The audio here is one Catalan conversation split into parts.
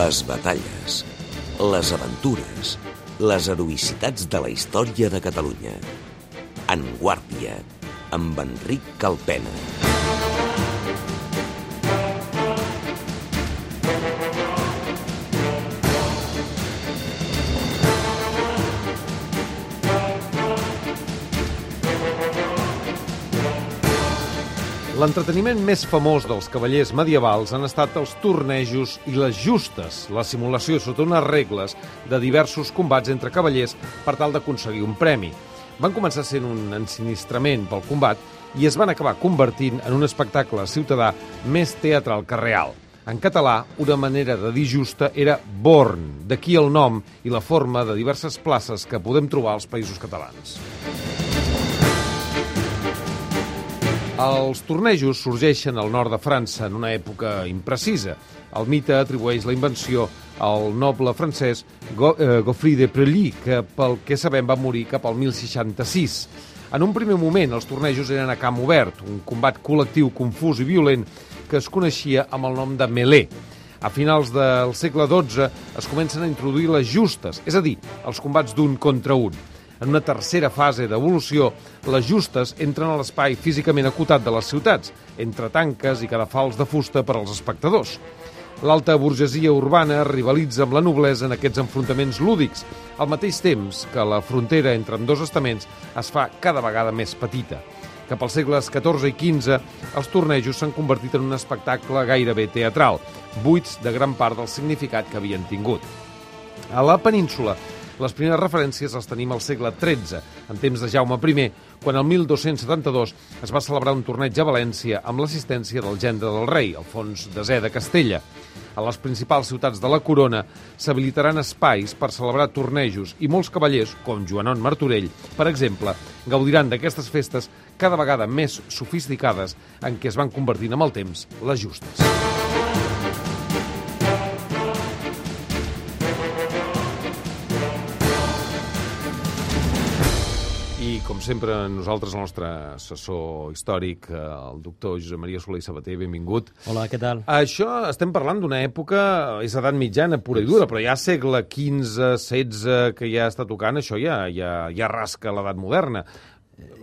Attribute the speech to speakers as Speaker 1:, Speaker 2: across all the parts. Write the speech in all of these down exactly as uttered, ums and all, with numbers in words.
Speaker 1: Les batalles, les aventures, les heroïcitats de la història de Catalunya. En Guàrdia, amb Enric Calpena.
Speaker 2: L'entreteniment més famós dels cavallers medievals han estat els tornejos i les justes, la simulació sota unes regles de diversos combats entre cavallers per tal d'aconseguir un premi. Van començar sent un ensinistrament pel combat i es van acabar convertint en un espectacle ciutadà més teatral que real. En català, una manera de dir justa era born, d'aquí el nom i la forma de diverses places que podem trobar als Països Catalans. Els tornejos sorgeixen al nord de França en una època imprecisa. El mite atribueix la invenció al noble francès Geoffrey de Prelly, que pel que sabem va morir cap al mil seixanta-sis. En un primer moment, els tornejos eren a camp obert, un combat col·lectiu confús i violent que es coneixia amb el nom de mêlée. A finals del segle dotze es comencen a introduir les justes, és a dir, els combats d'un contra un. En una tercera fase d'evolució, les justes entren a l'espai físicament acotat de les ciutats, entre tanques i cadafals de fusta per als espectadors. L'alta burgesia urbana rivalitza amb la noblesa en aquests enfrontaments lúdics, al mateix temps que la frontera entre ambdós estaments es fa cada vegada més petita. Cap als segles catorze i quinze, els tornejos s'han convertit en un espectacle gairebé teatral, buits de gran part del significat que havien tingut. A la península, les primeres referències les tenim al segle tretze, en temps de Jaume I, quan el mil dos-cents setanta-dos es va celebrar un torneig a València amb l'assistència del gendre del rei, Alfons desè de Castella. A les principals ciutats de la corona s'habilitaran espais per celebrar tornejos i molts cavallers, com Joanon Martorell, per exemple, gaudiran d'aquestes festes cada vegada més sofisticades en què es van convertint amb el temps les justes. I, com sempre, nosaltres, el nostre assessor històric, el doctor Josep Maria Soler i Sabater, benvingut.
Speaker 3: Hola, què tal?
Speaker 2: Això, estem parlant d'una època, és edat mitjana, pura i dura, però ja segle quinze, setze, que ja està tocant, això ja, ja, ja rasca l'edat moderna.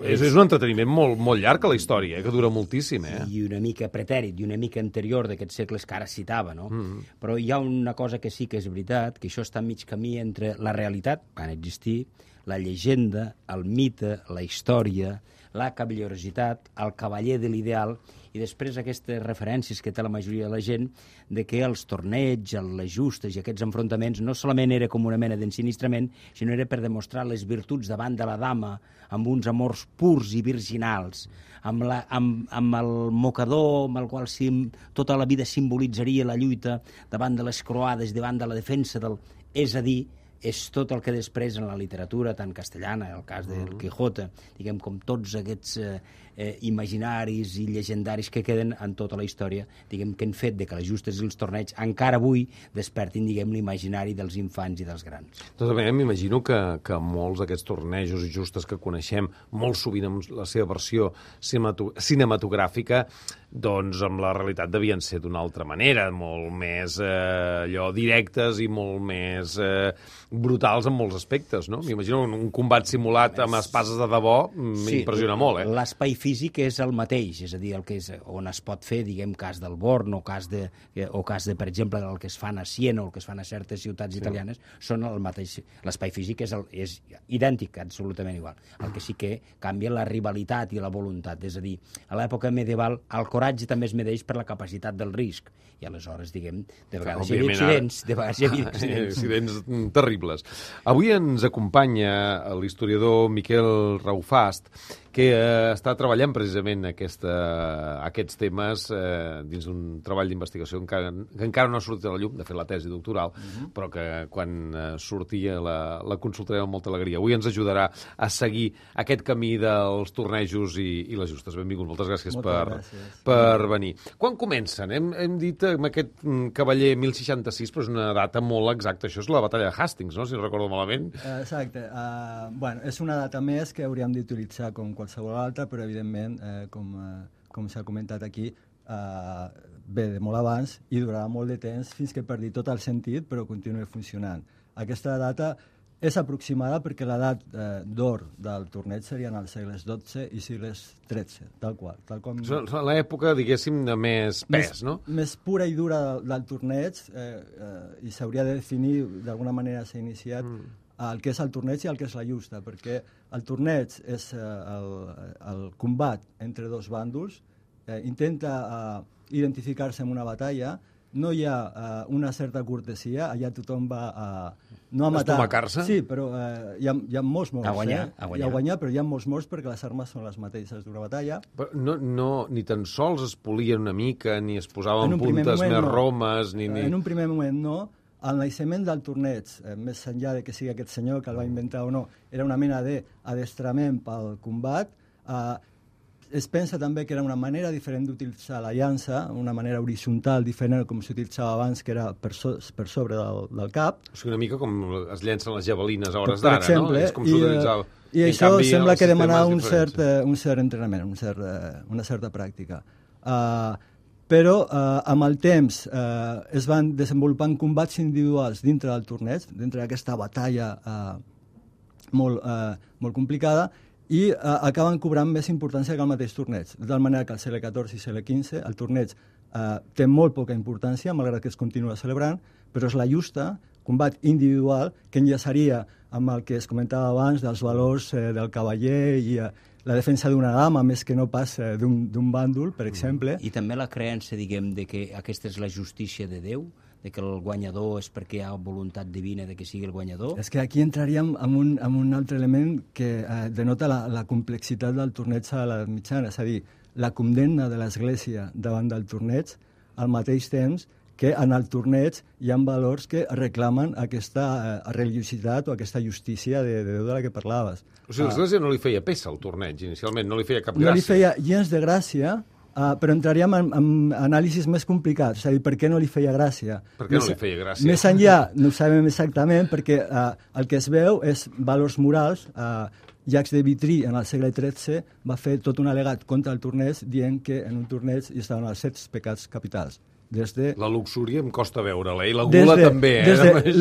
Speaker 2: És, és un entreteniment molt, molt llarg a la història, eh, que dura moltíssim. Eh?
Speaker 3: I una mica pretèrit, i una mica anterior d'aquests segles que ara citava, no? Mm-hmm. Però hi ha una cosa que sí que és veritat, que això està a mig camí entre la realitat, van existir, la llegenda, el mite, la història, la cavallerositat, el cavaller de l'ideal, i després aquestes referències que té la majoria de la gent de que els torneigs, les justes i aquests enfrontaments no solament era com una mena d'ensinistrament, sinó era per demostrar les virtuts davant de la dama, amb uns amors purs i virginals, amb, la, amb, amb el mocador amb el qual sim, tota la vida simbolitzaria la lluita davant de les croades, davant de la defensa del... És a dir, és tot el que després en la literatura, tant castellana, el cas del Quijote, diguem, com tots aquests eh, eh, imaginaris i llegendaris que queden en tota la història, diguem, que han fet de que les justes i els torneigs encara avui despertin, diguem, l'imaginari dels infants i dels grans.
Speaker 2: Doncs bé, m'imagino que, que molts d'aquests tornejos i justes que coneixem, molt sovint amb la seva versió cinematogràfica, doncs amb la realitat devien ser d'una altra manera, molt més eh, allò directes i molt més eh, brutals en molts aspectes, no? M'imagino un, un combat simulat amb espases de debò m'impressiona sí, molt, eh?
Speaker 3: L'espai físic és el mateix, és a dir, el que és, on es pot fer, diguem, cas del Born o cas de, o cas de, per exemple, el que es fan a Siena o el que es fan a certes ciutats sí. italianes, són el mateix. L'espai físic és, el, és idèntic, absolutament igual. El que sí que canvia la rivalitat i la voluntat, és a dir, a l'època medieval el coratge també es medeix per la capacitat del risc. I aleshores, diguem, de vegades hi havia accidents, de vegades hi havia accidents.
Speaker 2: accidents terribles. Avui ens acompanya l'historiador Miquel Raufast, que eh, està treballant precisament aquesta, aquests temes eh, dins d'un treball d'investigació que encara, que encara no ha sortit a la llum, de fet la tesi doctoral, uh-huh. però que quan eh, sortia la, la consultarem amb molta alegria. Avui ens ajudarà a seguir aquest camí dels tornejos i, i les justes. Benvingut, moltes gràcies, moltes per, gràcies. per venir. Quan comencen? Hem, hem dit amb aquest cavaller mil seixanta-sis, però és una data molt exacta. Això és la batalla de Hastings, no?, si no recordo malament.
Speaker 4: Exacte. Uh, bueno, és una data més que hauríem d'utilitzar com qualsevol altra, però evidentment, eh, com, eh, com s'ha comentat aquí, eh, ve de molt abans i durarà molt de temps fins que perdi tot el sentit, però continuï funcionant. Aquesta data és aproximada perquè l'edat eh, d'or del torneig serien els segles dotze i segles tretze, tal qual. Tal com...
Speaker 2: L'època, diguéssim, de més pes,
Speaker 4: més,
Speaker 2: no?
Speaker 4: Més pura i dura del, del torneig eh, eh, i s'hauria de definir, d'alguna manera s'ha iniciat, mm. el que és el torneig i el que és la justa, perquè el torneig és eh, el, el combat entre dos bàndols, eh, intenta eh, identificar-se en una batalla, no hi ha uh, una certa cortesia, allà tothom va a... Uh, no a matar.
Speaker 2: Estomacar-se?
Speaker 4: Sí, però uh, hi, ha, hi ha molts morts.
Speaker 3: A guanyar,
Speaker 4: eh?
Speaker 3: a guanyar.
Speaker 4: Hi ha guanyar, però hi ha molts morts perquè les armes són les mateixes d'una batalla.
Speaker 2: Però no, no, ni tan sols es polien una mica, ni es posaven puntes
Speaker 4: moment,
Speaker 2: més
Speaker 4: no.
Speaker 2: romes, ni... ni...
Speaker 4: En un primer moment no. El naixement del torneig, eh, més enllà de que sigui aquest senyor que el va inventar o no, era una mena d'adestrament pel combat. Eh, Es pensa també que era una manera diferent d'utilitzar la llança, una manera horitzontal diferent com s'utilitzava abans, que era per, so, per sobre del, del cap.
Speaker 2: O sigui, una mica com es llencen les javelines a hores
Speaker 4: per
Speaker 2: d'ara, no?
Speaker 4: exemple,
Speaker 2: És com s'utilitzava.
Speaker 4: I, i això canvi, sembla que demanava un cert, un cert entrenament, un cert, una certa pràctica. Uh, però uh, amb el temps uh, es van desenvolupant combats individuals dintre del torneig, dintre d'aquesta batalla uh, molt, uh, molt complicada, i uh, acaben cobrant més importància que el mateix torneig. De tal manera que al segle catorze i segle quinze el torneig uh, té molt poca importància, malgrat que es continua celebrant, però és la justa, combat individual, que enllaçaria amb el que es comentava abans dels valors eh, del cavaller i eh, la defensa d'una dama més que no pas eh, d'un bàndol, per exemple.
Speaker 3: I també la creença, diguem, de que aquesta és la justícia de Déu, de que el guanyador és perquè hi ha voluntat divina de que sigui el guanyador?
Speaker 4: És que aquí entraríem en un, en un altre element que eh, denota la, la complexitat del torneig a l'edat mitjana, és a dir, la condemna de l'Església davant del torneig, al mateix temps que en el torneig hi ha valors que reclamen aquesta eh, religiositat o aquesta justícia de, de Déu de la que parlaves.
Speaker 2: O sigui, l'Església no li feia peça al torneig, inicialment, no li feia cap gràcia.
Speaker 4: No li feia gens de gràcia, Uh, però entraríem en, en anàlisis més complicats, és a dir, per què no li feia gràcia?
Speaker 2: Per què no li feia gràcia?
Speaker 4: Més enllà, no ho sabem exactament, perquè uh, el que es veu és valors morals. Uh, Jacques de Vitry, en el segle tretze, va fer tot un al·legat contra el torneig, dient que en un torneig hi estaven els set pecats capitals. Des de...
Speaker 2: La luxúria em costa veure-la, i la gula de, també. Eh?
Speaker 4: Des de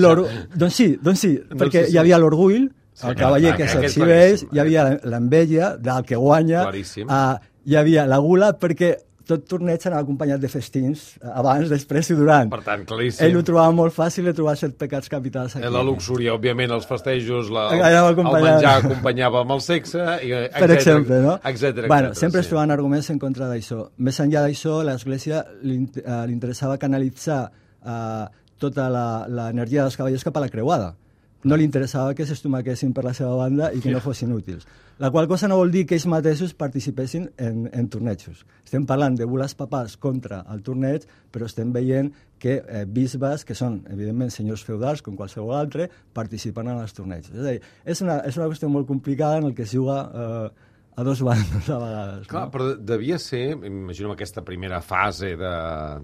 Speaker 4: doncs sí, doncs sí, doncs perquè sí, sí. Hi havia l'orgull, sí, el cavaller que s'exhibeix, hi havia l'enveja del que guanya, uh, hi havia la gula, perquè tot torneig anava acompanyat de festins, abans, després i durant.
Speaker 2: Per tant, claríssim.
Speaker 4: Ell ho trobava molt fàcil de trobar set pecats capitals aquí.
Speaker 2: La luxúria, òbviament, els festejos, la, el, el menjar acompanyava amb el sexe, i, etcètera,
Speaker 4: per exemple, no?
Speaker 2: Etcètera,
Speaker 4: bueno,
Speaker 2: etcètera,
Speaker 4: sempre
Speaker 2: sí.
Speaker 4: es troben arguments en contra d'això. Més enllà d'això, l'Església li, uh, li interessava canalitzar uh, tota l'energia dels cavallers cap a la creuada. No li interessava que s'estomaquessin per la seva banda i que no fossin útils. La qual cosa no vol dir que ells mateixos participessin en, en tornejos. Estem parlant de bules papals contra el torneig, però estem veient que eh, bisbes, que són, evidentment, senyors feudals, com qualsevol altre, participen en els tornejos. És a dir, és una, és una qüestió molt complicada en el que es juga eh, a dos bandes a vegades.
Speaker 2: Clar, no? Però devia ser, imagino aquesta primera fase de,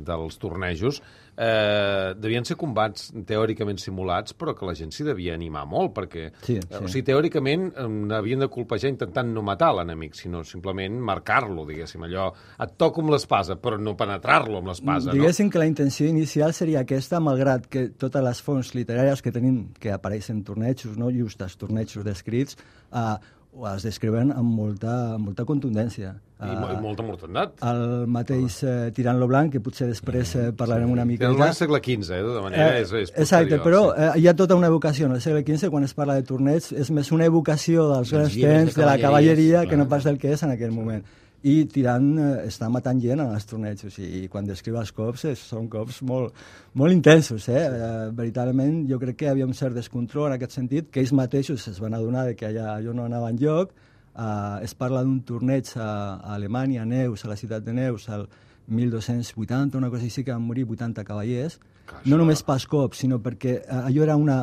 Speaker 2: dels tornejos, eh, devien ser combats teòricament simulats, però que la gent s'hi devia animar molt, perquè
Speaker 4: sí, sí.
Speaker 2: Eh, o sigui, teòricament eh, havien de colpejar intentant no matar l'enemic, sinó simplement marcar-lo, diguéssim, allò, et toco amb l'espasa, però no penetrar-lo amb l'espasa, no?
Speaker 4: Diguéssim que la intenció inicial seria aquesta, malgrat que totes les fonts literàries que tenim, que apareixen tornejos, no just els tornejos descrits, eh, es descriuen amb molta, amb molta contundència.
Speaker 2: I, uh, i molta mortandat.
Speaker 4: El mateix eh, Tirant lo Blanc, que potser després eh, parlarem sí. una mica...
Speaker 2: Tirant lo Blanc segle quinze, eh, de tota manera, eh, és, és posterior.
Speaker 4: Exacte, però sí. eh, hi ha tota una evocació. En el segle quinze, quan es parla de torneig, és més una evocació dels grans temps, de, de la cavalleria, clar, que no pas del que és en aquell moment. I Tirant eh, està matant gent en els tornejos, i quan descriu els cops eh, són cops molt, molt intensos. Eh? Sí. Eh, veritablement, jo crec que hi havia un cert descontrol en aquest sentit, que ells mateixos es van adonar de que allà, allò no anava enlloc. Eh, es parla d'un torneig a, a Alemanya, a Neus, a la ciutat de Neus, al mil dos-cents vuitanta, una cosa així, que van morir vuitanta cavallers. Clar, no només pas cops, sinó perquè eh, allò era una...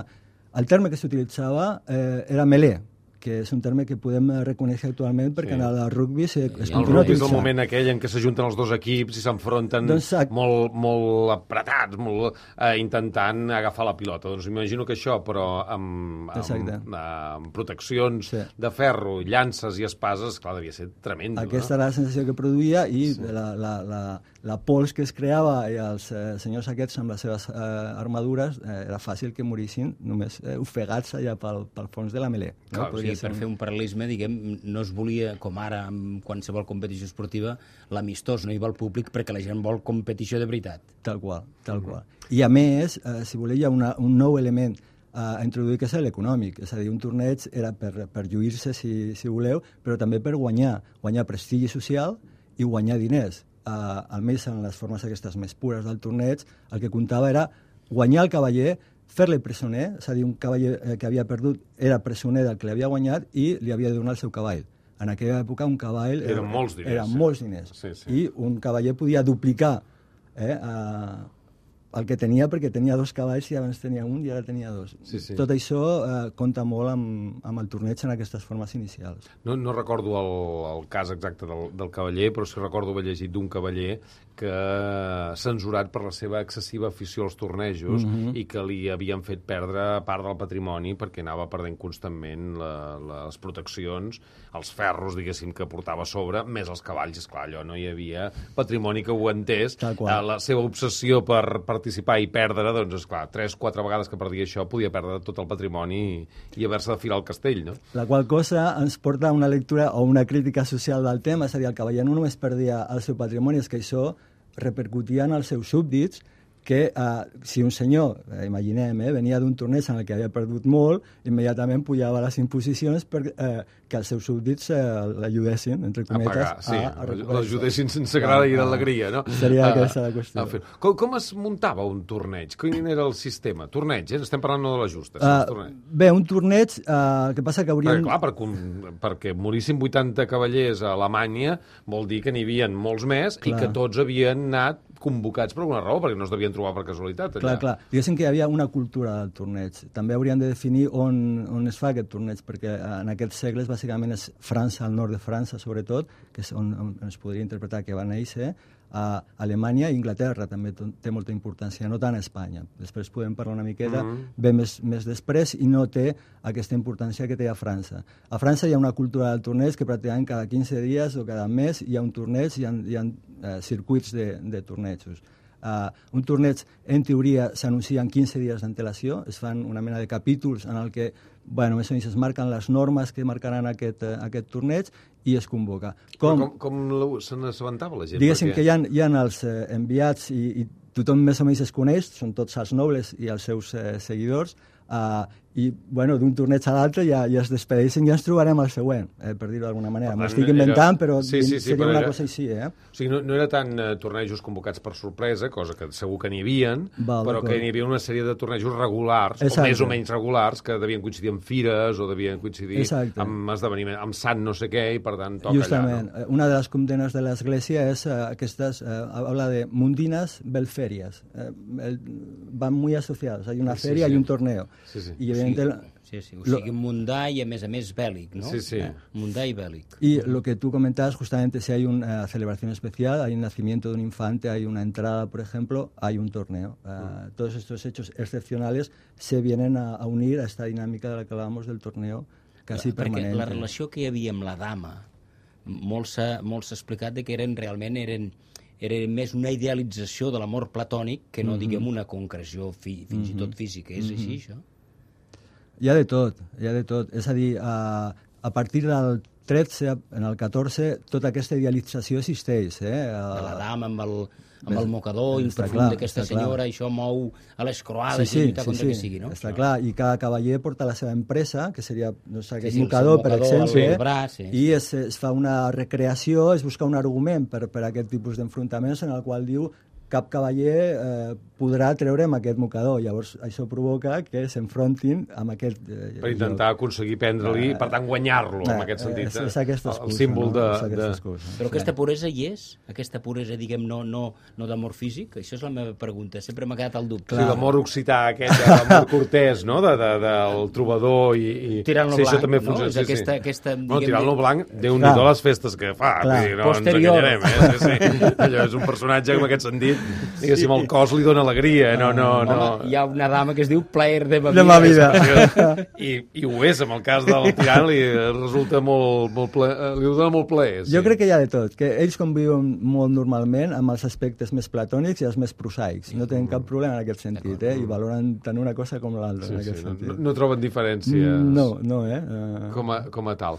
Speaker 4: El terme que s'utilitzava eh, era melé, que és un terme que podem reconèixer actualment perquè sí. en el rugby se, es
Speaker 2: el
Speaker 4: continua
Speaker 2: rugby és el moment aquell en què s'ajunten els dos equips i s'enfronten doncs, molt, molt apretats, molt, eh, intentant agafar la pilota. Doncs imagino que això, però amb, amb, amb proteccions sí. de ferro, llances i espases, clar, devia ser tremendo.
Speaker 4: Aquesta
Speaker 2: no?
Speaker 4: era la sensació que produïa i sí. la, la, la, la pols que es creava i els eh, senyors aquests amb les seves eh, armadures eh, era fàcil que morissin només eh, ofegats allà pel, pel fons de la melé. No?
Speaker 3: Clar, sí, per fer un paral·lelisme, diguem, no es volia, com ara amb qualsevol competició esportiva, l'amistós, no hi va el públic perquè la gent vol competició de veritat.
Speaker 4: Tal qual, tal qual. I a més, eh, si voleu, hi ha una, un nou element a introduir, que és l'econòmic. És a dir, un torneig era per, per lluir-se, si, si voleu, però també per guanyar, guanyar prestigi social i guanyar diners. Uh, almenys en les formes aquestes més pures del torneig, el que comptava era guanyar el cavaller, fer-li presoner, és a dir, un cavaller que havia perdut era presoner del que l'havia guanyat i li havia de donar el seu cavall. En aquella època un cavall
Speaker 2: eren era, molts diners,
Speaker 4: era
Speaker 2: sí.
Speaker 4: molts diners.
Speaker 2: Sí, sí.
Speaker 4: I un cavaller podia duplicar eh, uh, el que tenia, perquè tenia dos cavalls i abans tenia un i ara tenia dos.
Speaker 2: Sí, sí.
Speaker 4: Tot això eh, compta molt amb, amb el torneig en aquestes formes inicials.
Speaker 2: No, no recordo el, el cas exacte del, del cavaller, però sí recordo haver llegit d'un cavaller que censurat per la seva excessiva afició als tornejos mm-hmm. i que li havien fet perdre part del patrimoni perquè anava perdent constantment la, les proteccions, els ferros, diguéssim, que portava a sobre, més els cavalls. Esclar, allò no hi havia patrimoni que ho aguantés. La seva obsessió per participar i perdre, doncs, esclar, tres, quatre vegades que perdia això, podia perdre tot el patrimoni i, i haver-se de filar al castell, no?
Speaker 4: La qual cosa ens porta a una lectura o una crítica social del tema, és a dir, el cavaller no només perdia el seu patrimoni, és que això repercutia en els seus súbdits, que eh, si un senyor, eh, imaginem, eh, venia d'un torneig en el que havia perdut molt, immediatament pujava les imposicions per eh, que els seus súbdits eh, l'ajudessin, entre cometes, a
Speaker 2: pagar, sí,
Speaker 4: a, a
Speaker 2: l'ajudessin sense grada i d'alegria, no?
Speaker 4: Seria aquesta la qüestió.
Speaker 2: Com, com es muntava un torneig? Quin era el sistema? Torneig, eh? Estem parlant no de la justa.
Speaker 4: Uh, bé, un torneig, uh, el que passa que hauríem...
Speaker 2: Perquè, clar, per, perquè morissin vuitanta cavallers a Alemanya vol dir que n'hi havia molts més clar. I que tots havien anat convocats per alguna raó, perquè no es devien trobar per casualitat. Allà.
Speaker 4: Clar, clar. Diguéssim que hi havia una cultura del torneig. També hauríem de definir on, on es fa aquest torneig, perquè en aquests segles bàsicament és França, al nord de França sobretot, que és on, on es podria interpretar que va néixer, a Alemanya i Inglaterra també té molta importància, no tant a Espanya. Després podem parlar una miqueta, mm-hmm. ve més, més després i no té aquesta importància que té a França. A França hi ha una cultura del torneig que pràcticament cada quinze dies o cada mes hi ha un torneig, hi ha, hi ha uh, circuits de, de tornejos. Uh, un torneig, en teoria, s'anuncia en quinze dies d'antelació, es fan una mena de capítols en el que, bueno, més o menys es marquen les normes que marcaran aquest, uh, aquest torneig i es convoca.
Speaker 2: Com, com, com se n'assabentava la gent?
Speaker 4: Diguéssim
Speaker 2: perquè...
Speaker 4: que hi ha, hi ha els eh, enviats i, i tothom més o menys es coneix, són tots els nobles i els seus eh, seguidors, uh, i bueno, d'un torneig a l'altre ja, ja es despedeixen i ja ens trobarem al següent, eh, per dir-ho d'alguna manera. M'ho estic inventant, era... però sí, sí, sí, seria però una era... cosa així. Eh?
Speaker 2: O sigui, no, no era tant uh, tornejos convocats per sorpresa, cosa que segur que n'hi havien, Val, però que n'hi havia una sèrie de tornejos regulars, Exacte. o més o menys regulars, que devien coincidir amb fires o devien coincidir Exacte. amb esdeveniments, amb sant no sé què, i per tant toca
Speaker 4: Justament.
Speaker 2: allà. No?
Speaker 4: Una de les condemnes de l'Església és uh, aquestes, uh, habla de mundinas belferias. Uh, el, van muy asociados. Hay una sí, feria sí. y un torneo.
Speaker 2: Sí, sí.
Speaker 4: Y evidentemente...
Speaker 3: Sí, sí, o sigui, mundà i a més a més bèl·lic, ¿no?
Speaker 2: Sí, sí.
Speaker 3: Eh, mundà y bélic.
Speaker 4: Y lo que tú comentabas, justamente, si hay una uh, celebración especial, hay un nacimiento de un infante, hay una entrada, por ejemplo, hay un torneo. Uh, mm. Todos estos hechos excepcionales se vienen a, a unir a esta dinámica de la que hablábamos del torneo casi
Speaker 3: Perquè
Speaker 4: permanente.
Speaker 3: Perquè la relació que hi havia amb la dama, molt s'ha explicat de que eren realment eren era més una idealització de l'amor platònic que no, mm-hmm. diguem, una concreció fi, fins mm-hmm. i tot física. És mm-hmm. així, això?
Speaker 4: Hi ha de tot, hi ha de tot. És a dir, a, a partir del tretze, en el catorze, tota aquesta idealització existeix. Eh?
Speaker 3: De la dama amb el, amb el mocador improfund d'aquesta senyora, clar. Això mou a les croades sí, sí, i lluitar
Speaker 4: sí,
Speaker 3: contra
Speaker 4: sí.
Speaker 3: que sigui, no?
Speaker 4: Està
Speaker 3: no.
Speaker 4: clar, i cada cavaller porta la seva empresa, que seria no sé, aquest
Speaker 3: sí, sí,
Speaker 4: mocador,
Speaker 3: mocador,
Speaker 4: per exemple,
Speaker 3: el braç, sí.
Speaker 4: i es, es fa una recreació, es busca un argument per, per aquest tipus d'enfrontaments en el qual diu cap cavaller eh, podrà treure amb aquest mocador. Llavors, això provoca que s'enfrontin amb aquest... Eh,
Speaker 2: per intentar joc. aconseguir prendre-li, eh, per tant, guanyar-lo, eh, en aquest sentit.
Speaker 4: És, és aquesta excusa,
Speaker 2: el símbol
Speaker 4: no?
Speaker 2: de...
Speaker 4: És aquesta
Speaker 2: de...
Speaker 4: excusa.
Speaker 3: Però aquesta puresa hi és? Aquesta puresa, diguem, no, no, no d'amor físic? Això és la meva pregunta. Sempre m'ha quedat el dubte.
Speaker 2: Sí, l'amor occità aquest, l'amor cortès, no?, de, de, del trobador i... i...
Speaker 3: Tirant-lo
Speaker 2: sí,
Speaker 3: blanc,
Speaker 2: també
Speaker 3: no?
Speaker 2: funciona,
Speaker 3: És
Speaker 2: sí,
Speaker 3: aquesta,
Speaker 2: sí.
Speaker 3: aquesta,
Speaker 2: no,
Speaker 3: diguem...
Speaker 2: tirant-lo blanc, Déu-n'hi-do les festes que fa. Dir, no
Speaker 3: posterior.
Speaker 2: ens enganyarem, eh? Sí, sí. Allò és un personatge que en aquest sentit, diguéssim, el cos li dona alegria. No, no, no.
Speaker 3: Home, hi ha una dama que es diu plaer de ma vida.
Speaker 4: De ma vida.
Speaker 2: I, I ho és, en el cas del tirant li resulta molt, molt ple, li dona molt plaer. Sí.
Speaker 4: Jo crec que hi ha de tot, que ells conviuen molt normalment amb els aspectes més platònics i els més prosaics. No tenen cap problema en aquest sentit, eh? I valoren tant una cosa com l'altra,
Speaker 2: Sí,
Speaker 4: en aquest
Speaker 2: sí,
Speaker 4: sentit.
Speaker 2: no, no troben diferència
Speaker 4: No, no, eh? Uh...
Speaker 2: com, a, com a tal.